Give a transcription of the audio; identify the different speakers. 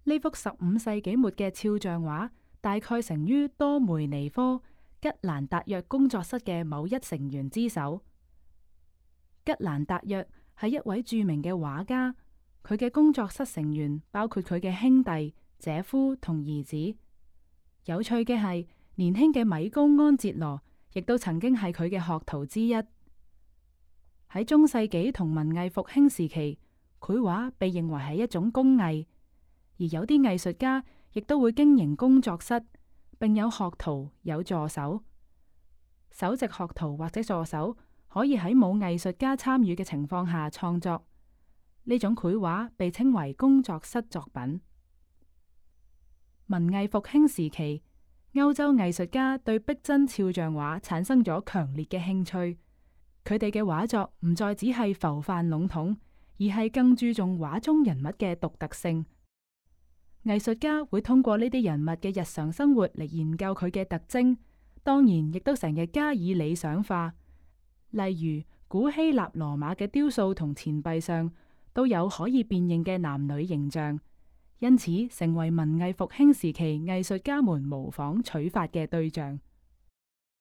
Speaker 1: 呢幅15世紀末嘅肖像畫大概成於多梅尼科吉蘭達約工作室嘅某一成員之手。吉蘭達約係一位著名嘅畫家，佢嘅工作室成員包括佢嘅兄弟、姐夫同兒子。有趣嘅係，年輕嘅米高安哲羅亦都曾經係佢嘅學徒之一。喺中世紀同文藝復興時期，繪畫被認為係一種工藝，而有啲藝術家亦都會經營工作室，並有學徒、有助手。首席學徒或者助手可以喺冇藝術家參與嘅情況下創作。呢種繪畫被稱為工作室作品。文藝復興時期，歐洲藝術家對逼真肖像畫產生咗強烈嘅興趣。佢哋嘅畫作唔再只係浮泛籠統，而係更注重畫中人物嘅獨特性。藝術家會通過呢啲人物嘅日常生活嚟研究佢嘅特徵，當然亦都成日加以理想化。例如古希臘羅馬嘅雕塑同錢幣上都有可以辨認嘅男女形象，因此成為文藝復興時期藝術家們模仿取法嘅對象。